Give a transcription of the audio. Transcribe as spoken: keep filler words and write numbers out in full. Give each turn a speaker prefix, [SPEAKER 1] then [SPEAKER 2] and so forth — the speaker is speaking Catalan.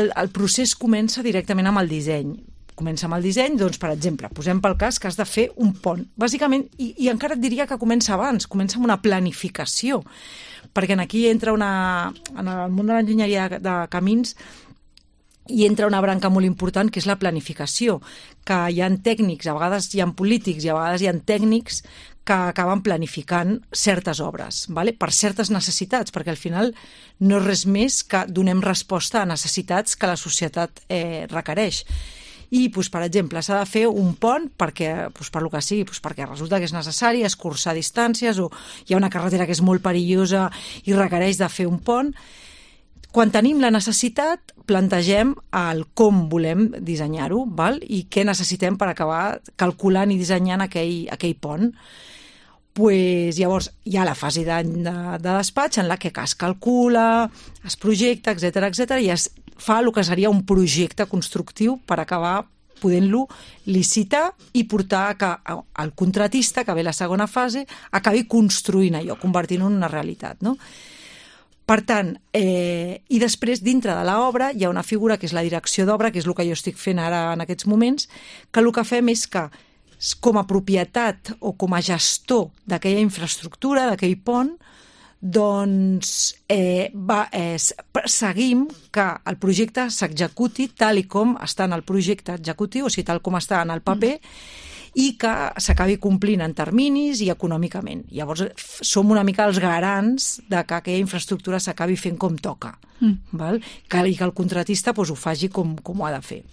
[SPEAKER 1] El, el procés comença directament amb el disseny. Comença amb el disseny, doncs, per exemple, posem pel cas que has de fer un pont. Bàsicament, i, i encara et diria que comença abans, comença amb una planificació, perquè aquí entra una... En el món de l'enginyeria de, de camins hi entra una branca molt important, que és la planificació, que hi ha tècnics, a vegades hi ha polítics i a vegades hi ha tècnics que acaben planificant certes obres, vale? Per certes necessitats, perquè al final no és res més que donem resposta a necessitats que la societat eh, requereix. I, doncs, per exemple, s'ha de fer un pont perquè, doncs, per lo que sigui, doncs, perquè resulta que és necessari escurçar distàncies o hi ha una carretera que és molt perillosa i requereix de fer un pont. Quan tenim la necessitat, plantegem el com volem dissenyar-ho, val? I què necessitem per acabar calculant i dissenyant aquell, aquell pont. Pues, llavors hi ha la fase de, de, de despatx en la que es calcula, es projecta, etcètera, etcètera, i es fa el que seria un projecte constructiu per acabar podent-lo licitar i portar a que el contratista, que ve la segona fase, acabi construint allò, convertint-ho en una realitat, no? Per tant, eh, i després, dintre de l'obra, hi ha una figura que és la direcció d'obra, que és el que jo estic fent ara en aquests moments, que el que fem és que, com a propietat o com a gestor d'aquella infraestructura, d'aquell pont, doncs eh, va, eh, seguim que el projecte s'executi tal i com està en el projecte executiu, o sigui, tal com està en el paper, i que s'acabi complint en terminis i econòmicament. Llavors, som una mica els garants de que aquella infraestructura s'acabi fent com toca, mm. val? Que, i que el contratista doncs, ho faci com, com ho ha de fer.